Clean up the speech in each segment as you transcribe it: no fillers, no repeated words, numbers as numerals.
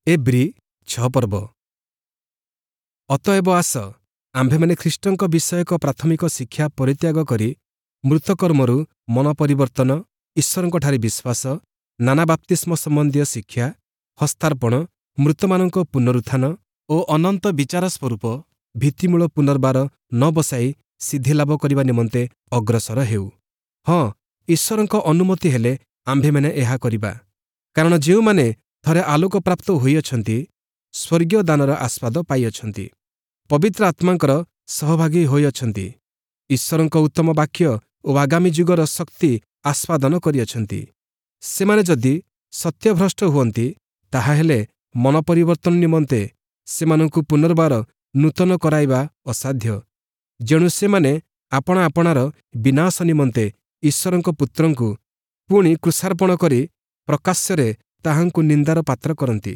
ଏବ୍ରୀ 6 ପର୍ବ। ଅତଏବ ଆସ, ଆମ୍ଭେମାନେ ଖ୍ରୀଷ୍ଟଙ୍କ ବିଷୟକ ପ୍ରାଥମିକ ଶିକ୍ଷା ପରିତ୍ୟାଗ କରି ମୃତକର୍ମରୁ ମନ ପରିବର୍ତ୍ତନ, ଈଶ୍ୱରଙ୍କଠାରେ ବିଶ୍ୱାସ, ନାନା ବାପ୍ତିସ୍ମ ସମ୍ବନ୍ଧୀୟ ଶିକ୍ଷା, ହସ୍ତାର୍ପଣ, ମୃତମାନଙ୍କ ପୁନରୁତ୍ଥାନ ଓ ଅନନ୍ତ ବିଚାର ସ୍ୱରୂପ ଭିତ୍ତିମୂଳ ପୁନର୍ବାର ନ ବସାଇ ସିଦ୍ଧିଲାଭ କରିବା ନିମନ୍ତେ ଅଗ୍ରସର ହେଉ। ହଁ, ଈଶ୍ୱରଙ୍କ ଅନୁମତି ହେଲେ ଆମ୍ଭେମାନେ ଏହା କରିବା। କାରଣ ଯେଉଁମାନେ ଥରେ ଆଲୋକପ୍ରାପ୍ତ ହୋଇଅଛନ୍ତି, ସ୍ୱର୍ଗୀୟ ଦାନର ଆସ୍ୱାଦ ପାଇଅଛନ୍ତି, ପବିତ୍ର ଆତ୍ମାଙ୍କର ସହଭାଗୀ ହୋଇଅଛନ୍ତି, ଈଶ୍ୱରଙ୍କ ଉତ୍ତମ ବାକ୍ୟ ଓ ଆଗାମୀ ଯୁଗର ଶକ୍ତି ଆସ୍ୱାଦନ କରିଅଛନ୍ତି, ସେମାନେ ଯଦି ସତ୍ୟଭ୍ରଷ୍ଟ ହୁଅନ୍ତି, ତାହାହେଲେ ମନ ପରିବର୍ତ୍ତନ ନିମନ୍ତେ ସେମାନଙ୍କୁ ପୁନର୍ବାର ନୂତନ କରାଇବା ଅସାଧ୍ୟ। ଯେଣୁ ସେମାନେ ଆପଣା ଆପଣାର ବିନାଶ ନିମନ୍ତେ ଈଶ୍ୱରଙ୍କ ପୁତ୍ରଙ୍କୁ ପୁଣି କ୍ରୁଶାର୍ପଣ କରି ପ୍ରକାଶ୍ୟରେ ତାହାଙ୍କୁ ନିନ୍ଦାର ପାତ୍ର କରନ୍ତି।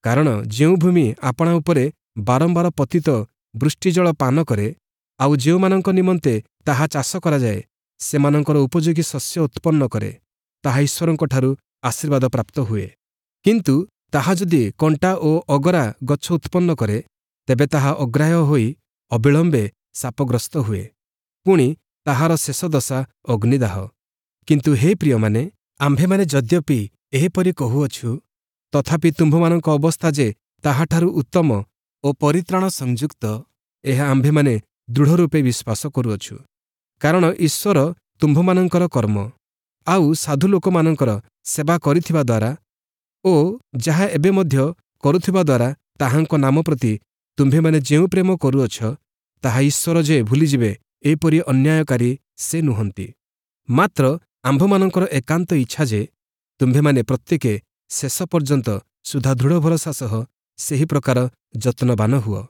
କାରଣ ଯେଉଁ ଭୂମି ଆପଣା ଉପରେ ବାରମ୍ବାର ପତିତ ବୃଷ୍ଟିଜଳ ପାନ କରେ, ଆଉ ଯେଉଁମାନଙ୍କ ନିମନ୍ତେ ତାହା ଚାଷ କରାଯାଏ, ସେମାନଙ୍କର ଉପଯୋଗୀ ଶସ୍ୟ ଉତ୍ପନ୍ନ କରେ, ତାହା ଈଶ୍ୱରଙ୍କଠାରୁ ଆଶୀର୍ବାଦ ପ୍ରାପ୍ତ ହୁଏ। କିନ୍ତୁ ତାହା ଯଦି କଣ୍ଟା ଓ ଅଗରା ଗଛ ଉତ୍ପନ୍ନ କରେ, ତେବେ ତାହା ଅଗ୍ରାହ୍ୟ ହୋଇ ଅବିଳମ୍ବେ ଶାପଗ୍ରସ୍ତ ହୁଏ, ପୁଣି ତାହାର ଶେଷ ଦଶା ଅଗ୍ନିଦାହ। କିନ୍ତୁ ହେ ପ୍ରିୟମାନେ, ଆମ୍ଭେମାନେ ଯଦ୍ୟପି ଏହିପରି କହୁଅଛୁ, ତଥାପି ତୁମ୍ଭମାନଙ୍କ ଅବସ୍ଥା ଯେ ତାହାଠାରୁ ଉତ୍ତମ ଓ ପରିତ୍ରାଣ ସଂଯୁକ୍ତ, ଏହା ଆମ୍ଭେମାନେ ଦୃଢ଼ରୂପେ ବିଶ୍ୱାସ କରୁଅଛୁ। କାରଣ ଈଶ୍ୱର ତୁମ୍ଭମାନଙ୍କର କର୍ମ ଆଉ ସାଧୁ ଲୋକମାନଙ୍କର ସେବା କରିଥିବା ଦ୍ୱାରା ଓ ଯାହା ଏବେ ମଧ୍ୟ କରୁଥିବା ଦ୍ୱାରା ତାହାଙ୍କ ନାମ ପ୍ରତି ତୁମ୍ଭେମାନେ ଯେଉଁ ପ୍ରେମ କରୁଅଛ, ତାହା ଈଶ୍ୱର ଯେ ଭୁଲିଯିବେ, ଏପରି ଅନ୍ୟାୟକାରୀ ସେ ନୁହନ୍ତି। ମାତ୍ର ଆମ୍ଭମାନଙ୍କର ଏକାନ୍ତ ଇଚ୍ଛା ଯେ ତୁମ୍ଭେମାନେ ପ୍ରତ୍ୟେକେ ଶେଷ ପର୍ଯ୍ୟନ୍ତ ସୁଦ୍ଧା ଦୃଢ଼ ଭରସା ସହ ସେହି ପ୍ରକାର ଯତ୍ନବାନ ହୁଅ,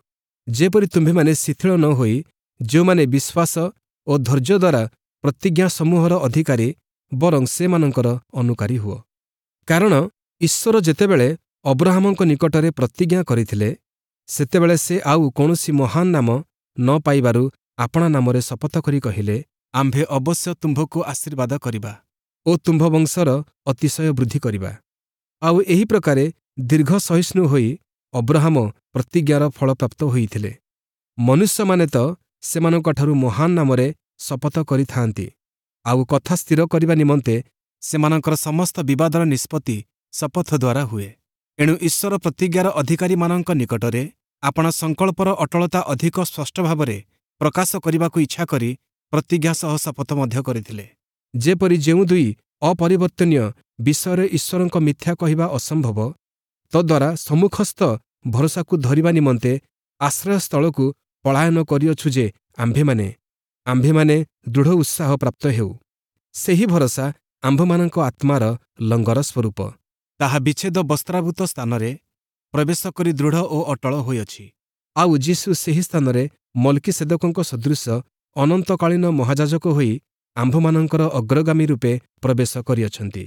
ଯେପରି ତୁମ୍ଭେମାନେ ଶିଥିଳ ନ ହୋଇ ଯେଉଁମାନେ ବିଶ୍ୱାସ ଓ ଧୈର୍ଯ୍ୟ ଦ୍ୱାରା ପ୍ରତିଜ୍ଞା ସମୂହର ଅଧିକାରୀ, ବରଂ ସେମାନଙ୍କର ଅନୁକାରୀ ହୁଅ। କାରଣ ଈଶ୍ୱର ଯେତେବେଳେ ଅବ୍ରହାମଙ୍କ ନିକଟରେ ପ୍ରତିଜ୍ଞା କରିଥିଲେ, ସେତେବେଳେ ସେ ଆଉ କୌଣସି ମହାନ ନାମ ନ ପାଇବାରୁ ଆପଣା ନାମରେ ଶପଥ କରି କହିଲେ, ଆମ୍ଭେ ଅବଶ୍ୟ ତୁମ୍ଭକୁ ଆଶୀର୍ବାଦ କରିବା ଓ ତୁମ୍ଭ ବଂଶର ଅତିଶୟ ବୃଦ୍ଧି କରିବା। ଆଉ ଏହି ପ୍ରକାରେ ଦୀର୍ଘ ସହିଷ୍ଣୁ ହୋଇ ଅବ୍ରହାମ ପ୍ରତିଜ୍ଞାର ଫଳପ୍ରାପ୍ତ ହୋଇଥିଲେ। ମନୁଷ୍ୟମାନେ ତ ସେମାନଙ୍କଠାରୁ ମହାନ ନାମରେ ଶପଥ କରିଥାନ୍ତି, ଆଉ କଥା ସ୍ଥିର କରିବା ନିମନ୍ତେ ସେମାନଙ୍କର ସମସ୍ତ ବିବାଦର ନିଷ୍ପତ୍ତି ଶପଥ ଦ୍ୱାରା ହୁଏ। ଏଣୁ ଈଶ୍ୱର ପ୍ରତିଜ୍ଞାର ଅଧିକାରୀମାନଙ୍କ ନିକଟରେ ଆପଣା ସଂକଳ୍ପର ଅଟଳତା ଅଧିକ ସ୍ପଷ୍ଟ ଭାବରେ ପ୍ରକାଶ କରିବାକୁ ଇଚ୍ଛା କରି ପ୍ରତିଜ୍ଞା ସହ ଶପଥ ମଧ୍ୟ କରିଥିଲେ। ଯେପରି ଯେଉଁ ଦୁଇ ଅପରିବର୍ତ୍ତନୀୟ ବିଷୟରେ ଈଶ୍ୱରଙ୍କ ମିଥ୍ୟା କହିବା ଅସମ୍ଭବ, ତଦ୍ୱାରା ସମ୍ମୁଖସ୍ଥ ଭରସାକୁ ଧରିବା ନିମନ୍ତେ ଆଶ୍ରୟସ୍ଥଳକୁ ପଳାୟନ କରିଅଛୁ ଯେ ଆମ୍ଭେମାନେ ଦୃଢ଼ ଉତ୍ସାହ ପ୍ରାପ୍ତ ହେଉ। ସେହି ଭରସା ଆମ୍ଭମାନଙ୍କ ଆତ୍ମାର ଲଙ୍ଗର ସ୍ୱରୂପ। ତାହା ବିଚ୍ଛେଦ ବସ୍ତ୍ରାବୃତ ସ୍ଥାନରେ ପ୍ରବେଶ କରି ଦୃଢ଼ ଓ ଅଟଳ ହୋଇଅଛି। ଆଉ ଯୀଶୁ ସେହି ସ୍ଥାନରେ ମଲ୍କିସେଦକଙ୍କ ସଦୃଶ ଅନନ୍ତକାଳୀନ ମହାଯାଜକ ହୋଇ ଆମ୍ଭମାନଙ୍କର ଅଗ୍ରଗାମୀ ରୂପେ ପ୍ରବେଶ କରିଅଛନ୍ତି।